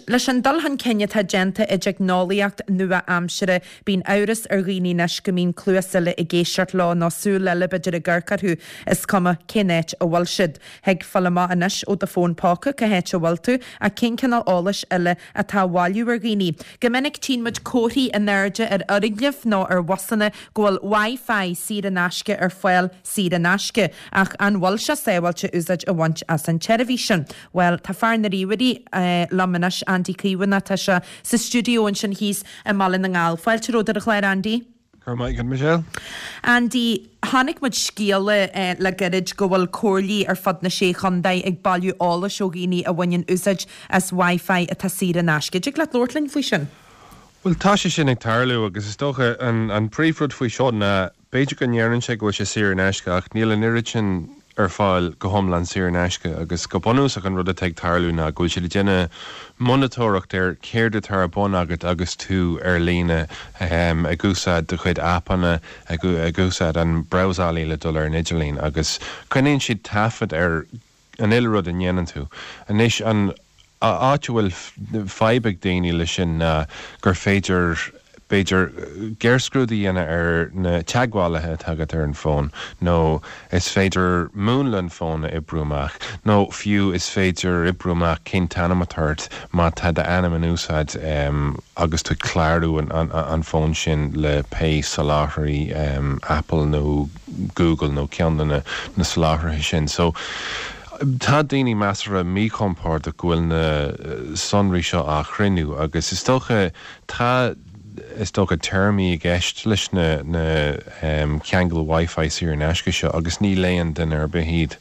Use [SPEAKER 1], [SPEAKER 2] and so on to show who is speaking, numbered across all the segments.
[SPEAKER 1] Leis an dul chun cinn atá déanta i dteicneolaíocht nua-aimsire, bíonn amhras ar dhaoine anois go mbíonn cluas eile ag éisteacht leo nó súil eile b'fhéidir ag amharc orthu, is cuma cén áit a bhfuil siad. Thig fáil amach anois ó do fón póca cá háit a bhfuil tú, ach cén cineál eolais eile atá á bhailiú ar dhaoine? Go minic tchíonn muid comharthaí in airde ar fhoirgnimh nó ar bhusanna go bhfuil Wi-Fi saor in aisce ar fáil saor in aisce, ach an bhfuil sé sábháilte úsáid a bhaint as an tseirbhís sin? Bhuel, tá fear na ríomhairí liom anois, Andy Caomhánach, tá sé sa stiúideo ansin thíos i mBaile na nGall. Fáilte romhat ar an chlár, Andy.
[SPEAKER 2] Go raibh maith agat, Michelle.
[SPEAKER 1] Andy, chonaic muid scéala le gairid go bhfuil comhairlí ar fud na Sé Chontae ag bailiú eolais ó dhaoine a bhaineann úsáid as Wi-Fi atá saor in aisce. Dtig leat labhairt linn faoi sin?
[SPEAKER 2] Bhuel, tá sé sin ag tarlú agus is dócha an príomhrud faoi seo ná B'fhéidir go ndeireann sé go bhfuil sé saor in aisce ach níl an oiread sin ar fáil go hiomlán saor in aisce agus go bunúsach an rud atá ag tarlú ná go bhfuil siad ag déanamh monatóireacht ar céard atá ar bun agat agus tú ar líne ag úsáid do chuid aipeanna, ag úsáid an brabhsálaí le dul ar an idirlíon agus coinníonn siad taifead ar an uile rud a ndéanann tú. Anois, an áit a bhfuil fadhb ag daoine leis sin ná gur féidir, b'fhéidir, géarscrúdú a dhéanamh ar na teagmhálaithe atá agat ar an bhfón, nó is féidir múnla an fhóin a oibriú amach, nó fiú is féidir oibriú amach cén t-ainm atá ort má tá d'ainm in úsáid agus tú ag clárú an fhóin sin le pé soláthraí Apple nó Google nó ceann de na soláthraithe sin. So, tá daoine measartha míchompordach go bhfuil na sonraí seo á chruinniú agus is dócha tá is dócha téarmaí i gceist leis na na ceangail Wi-Fi saor in aisce seo agus ní léann duine ar bith iad.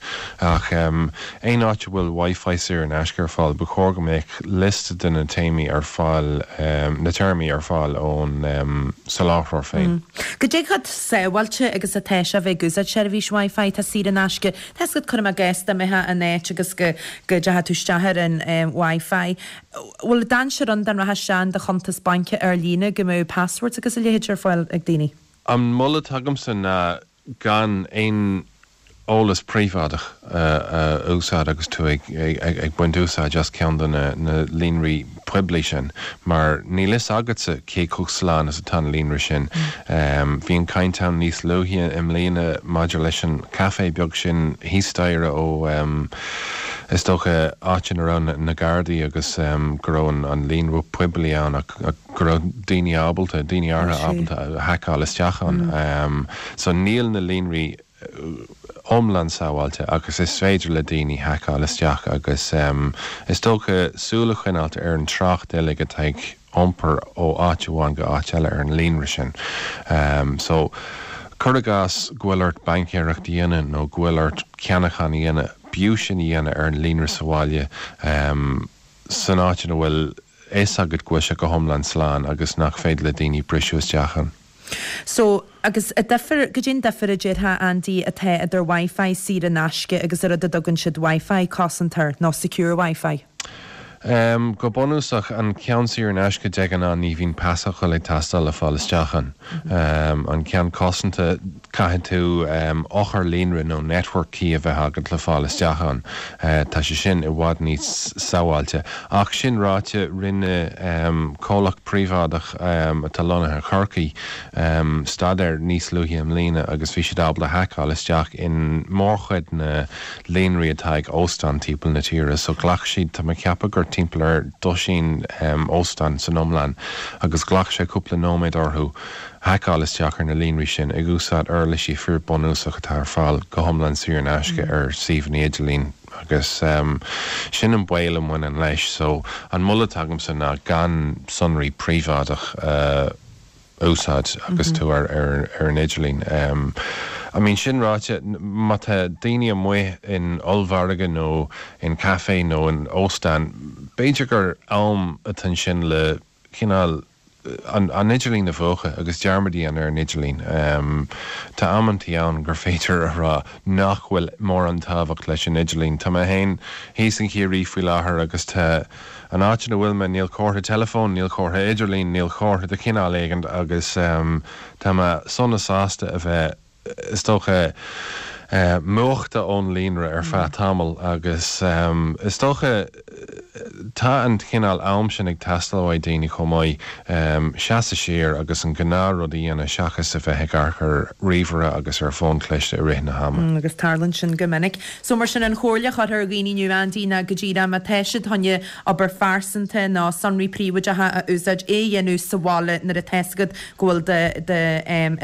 [SPEAKER 2] Ach aon áit a bhfuil Wi-Fi saor in aisce ar fáil ba chóir go mbeadh liosta de na téamaí ar fáil, na téarmaí ar fáil ón soláthróir féin.
[SPEAKER 1] Goidé chomh sábháilte agus atá sé a bheith ag úsáid seirbhís Wi-Fi atá saor in aisce. Tá 'fhios agat, cuirim i gcás, dá mbeifeá in áit agus go go dteachaidh tú isteach ar an Wi-Fi. Bhfuil dainséar ann dá rachfá isteach in do chuntas baince ar líne go mbeadh passwords agus a leithéid ar fáil ag daoine?
[SPEAKER 2] An moladh atá agamsa ná gan aon eolas príobháideach a úsáid agus tú ag baint úsáid as ceann de na líonraí poiblí sin, mar níl fhios agatsa cé chomh slán is atá an líonra sin. Bhí an caint ann níos luaithe i mbliana maidir leis an caife beag sin thíos staighre ó, is dócha, áit ina raibh na Gardaí agus go raibh an líonra poiblí ann ach go raibh daoine ábalta, daoine áirithe ábalta haiceáil isteach ann. So níl na líonraí iomlán sábháilte agus is féidir le daoine haiceáil isteach agus is dócha súil a choinneáilt ar an trácht uilig atá ag iompar ó áit amháin go áit eile ar an líonra sin. So cuir i gcás go bhfuil ort baincéireacht a dhéanamh nó go bhfuil ort ceannachán a dhéanamh, b'fhiú sin a dhéanamh ar an líonra sa bhaile san áit ina bhfuil fhios agat go bhfuil sé go hiomlán slán agus nach féidir le daoine briseadh isteach ann.
[SPEAKER 1] So, agus an difear, goidé an difear a déarfá, Andy, atá idir Wi-Fi saor in aisce agus an rud a dtugann siad Wi-Fi cosanta air, nó secure Wi-Fi?
[SPEAKER 2] Em, go bunúsach, an ceann saor in aisce de ghnáth ní bhíonn pasfhocal ag teastáil le fáil isteach ann. Em, an ceann cosanta, Caithfidh tú eochair líonra nó network key a bheith agat le fáil isteach ann. Tá sé sin i bhfad níos sábháilte. Ach sin ráite, rinne comhlacht príobháideach atá lonnaithe i Chorcaigh staidéar níos luaithe i mbliana agus bhí siad ábalta haiceáil isteach in mórchuid na líonraí atá ag óstáin timpeall na tíre. So ghlac siad, tá mé ag ceapadh gur timpeall ar dosaen óstán san iomlán agus ghlac sé cúpla nóiméad orthu haiceáil isteach ar na líonraí sin ag úsáid uirlisí fíor bunúsach atá ar fáil go hiomlán saor in aisce ar suíomhanna idirlín agus sin an baol a mbaineann leis. So an moladh atá agamsa ná gan sonraí príobháideach a úsáid agus tú ar ar an idirlíon. I mean sin ráite, má tá daoine amuigh in ollmhargadh nó in caife nó in óstán, b'fhéidir gur am atá ansin le cineál an idirlíon a mhúchadh agus dearmad a dhéanamh ar an idirlíon. Tá amantaí ann gur féidir a rá nach bhfuil mórán tábhacht leis an idirlíon. Tá mé féin thíos in Ciarraí faoi láthair agus tá an áit ina bhfuil mé, níl comhartha teileafóin, níl comhartha idirlín, níl comhartha de chineál éigin agus tá mé sona sásta a bheith, is dócha. Múchta ón líonra ar feadh tamaill agus is dócha tá an cineál am sin ag teastáil uaidh daoine chomh maith, seasamh siar agus an gnáth rud a dhéanamh seachas a bheith ag amharc ar ríomhaire agus ar fón cliste i rith na hama.
[SPEAKER 1] Agus tarlaíonn sin go minic. So mar sin an chomhairle a chuirfeá ar dhaoine inniu Andy ná go díreach má tá siad chun obair phearsanta nó sonraí príobháideacha a úsáid é a dhéanamh sa bhaile nuair atá fhios agat go bhfuil do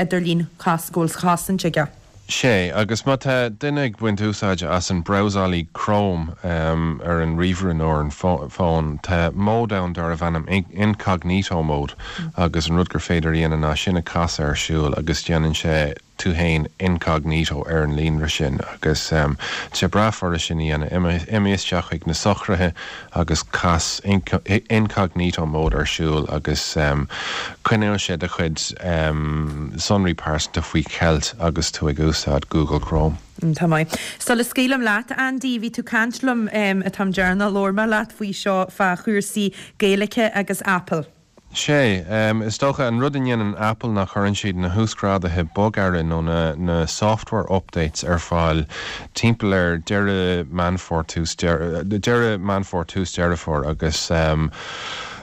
[SPEAKER 1] idirlíon go bhfuil cosaint aige.
[SPEAKER 2] Sea, agus má tá duine ag baint úsáide as an brabhsálaí Chrome ar an ríomhaire nó ar an bhfón, tá mód ann darbh ainm Incognito Mode agus an rud gur féidir a dhéanamh ná sin a chasadh ar siúl agus déanann sé tú fhéin incognito ar an líonra sin agus tá sé breá furast sin a dhéanamh. Imigh isteach chuig na socruithe agus cas Incognito Mode ar siúl agus coinneoidh sé do chuid sonraí pearsanta faoi cheilt agus tú ag úsáid Google Chrome.
[SPEAKER 1] Tá maith. Sula scaoilim leat, Andy, bhí tú caint liom an t-am deireanach a labhair mé leat faoi seo, fá chúrsaí Gaeilge agus Apple.
[SPEAKER 2] Sea, is dócha, an rud a ndéanann Apple ná cuireann siad na huasghráduithe bogearra nó na na software updates ar fáil timpeall ar deireadh Meán Fómhair tús deireadh Meán Fómhair tús Deireadh Fómhair agus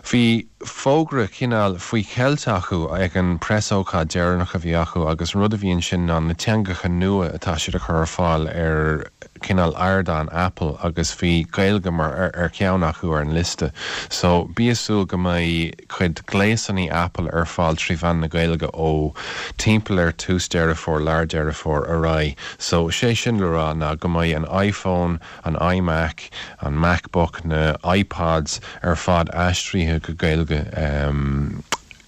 [SPEAKER 2] bhí fógra cineál faoi cheilt acu ag an preasócáid deireanach a bhí acu agus an rud a bhí ansin ná na teangacha nua atá siad a chur ar fáil ar cineál ardán Apple agus bhí Gaeilge mar ar cheann acu ar an liosta. So bí ag súil go mbeidh cuid gléasanna Apple ar fáil trí mheán na Gaeilge ó timpeall ar tús Deireadh Fómhair, lár Deireadh Fómhair ar aghaidh. So sé sin le rá ná go mbeidh an iPhone, an iMac, an MacBook, na iPods ar fad aistrithe go Gaeilge.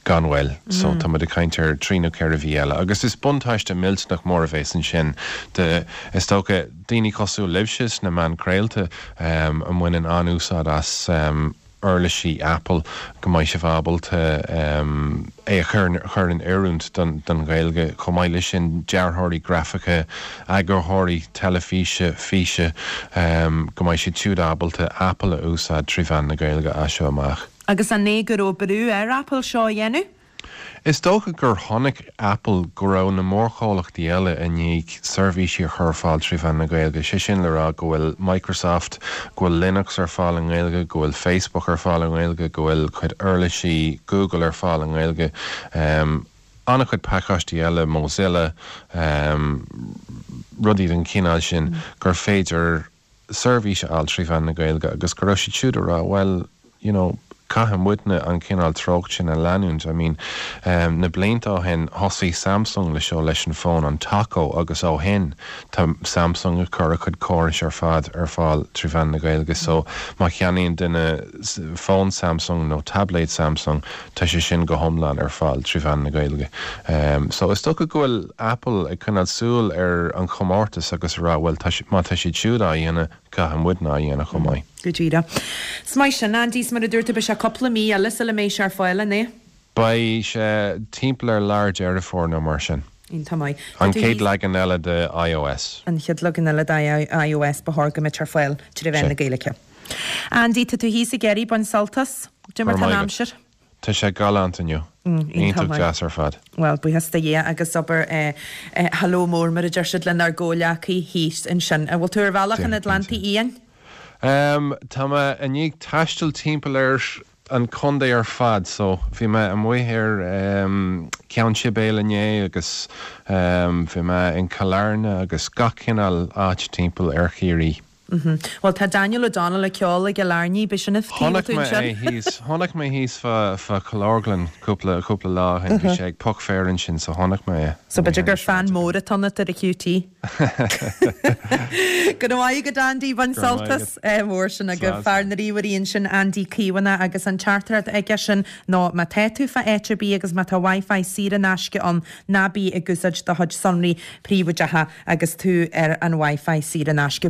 [SPEAKER 2] Gan mhoill. So, tá muid ag caint ar thrí nó 4 mhí eile. Agus is buntáiste millteanach mór a bhéas ansin do, is dócha, daoine cosúil libhse sna meáin craolta a mbaineann an-úsáid as uirlisí Apple, go mbeidh sibh ábalta é a chur in oiriúint don Ghaeilge. Chomh maith leis sin, dearthóirí grafaice, eagarthóirí teilifíse, físe, go mbeidh siad siúd ábalta Apple a úsáid trí mheán na Gaeilge as seo amach.
[SPEAKER 1] Agus an é go raibh brú ar Apple seo a dhéanamh?
[SPEAKER 2] Is dócha gur chonaic Apple go raibh na mórchomhlachtaí eile i ndiaidh seirbhísí a chur ar fáil trí mheán na Gaeilge, sé sin le rá go bhfuil Microsoft, go bhfuil Linux ar fáil i nGaeilge, go bhfuil Facebook ar fáil i nGaeilge, go bhfuil cuid uirlisí Google ar fáil i nGaeilge, an-chuid pacáistí eile, Mozilla, rudaí den chineál sin, gur féidir seirbhís a fháil trí mheán na Gaeilge agus go raibh siad siúd ag rá bhuel, you know, caithfidh muidne an cineál treocht sin a leanúint. I mean, na blianta ó shin thosaigh Samsung le seo leis an bhfón, an Taco, agus ó shin tá Samsung ag cur a chuid córais ar fad ar fáil trí mheán na Gaeilge. So má cheannaíonn duine fón Samsung nó tabléad Samsung, Tá sé sin go hiomlán ar fáil trí mheán na Gaeilge. So is dócha go bhfuil Apple ag coinneáil súil ar an chomórtas agus ag rá bhuel tá má tá siad siúd á dhéanamh, caithfidh muidne á dhéanamh chomh maith.
[SPEAKER 1] Go díreach. Is maith sin, Andy, is mar a dúirt tú beidh sé cúpla mí eile sula mbeidh sé ar fáil, an ea?
[SPEAKER 2] Beidh sé timpeall ar lár Deireadh Fómhair nó mar sin.
[SPEAKER 1] Iontach maith.
[SPEAKER 2] An chéad leagan eile de iOS.
[SPEAKER 1] An chéad leagan eile de iOS ba chóir go mbeadh ar fáil trí mheán na Gaeilge. Andy, tá tú thíos i gCiarraí, bain sult as. Cad é mar
[SPEAKER 2] tá an aimsir? Tá sé galánta inniu. Iontach deas ar fad.
[SPEAKER 1] Bhuel, buíochas do Dhia agus abair hello mór mar a deir siad lenár gcomhleacaí thíos ansin. An bhfuil tú ar bhealach an Atlantaigh Fhiáin?
[SPEAKER 2] Tá mé i ndiaidh taisteal timpeall ar an chontae ar fad so bhí mé amuigh ar Cheann Sibéal inné agus bhí mé in Cill Airne agus gach cineál áit timpeall ar Chiarraí.
[SPEAKER 1] Bhuel, tá Daniel O'Donnell ag ceol i gCill Airne, b'é sin an taobh
[SPEAKER 2] Chonaic mé é thíos, chonaic mé thíos fá, fá Chill Orglan cúpla, cúpla lá ó shin, bhí sé ag piocadh féir ansin so chonaic mé é.
[SPEAKER 1] So b'fhéidir gur fan mór atá ionat ar a QT. Go raibh maith agat Andy, bain sult as. Mór sin agaibh. Fear na ríomhairí ansin Andy Caomhánach agus an teachtaireacht aige sin ná má tá tú fá áit ar bith agus má tá Wi-Fi saor in aisce ann, ná bí ag úsáid do chuid sonraí príobháideacha agus tú ar an Wi-Fi saor in aisce.